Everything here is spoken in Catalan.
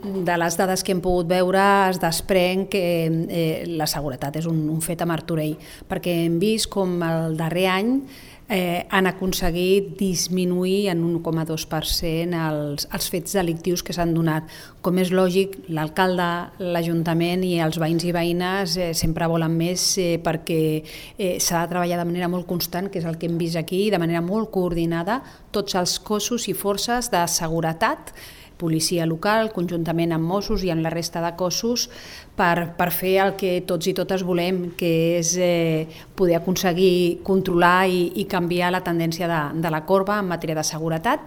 De les dades que hem pogut veure es desprèn que la seguretat és un fet a Martorell, perquè hem vist com el darrer any han aconseguit disminuir en un 1,2% els fets delictius que s'han donat. Com és lògic, l'alcalde, l'Ajuntament i els veïns i veïnes sempre volen més perquè s'ha de treballar de manera molt constant, que és el que hem vist aquí, de manera molt coordinada, tots els cossos i forces de seguretat, policia local, conjuntament amb Mossos i amb la resta de cossos, per fer el que tots i totes volem, que és poder aconseguir controlar i canviar la tendència de la corba en matèria de seguretat.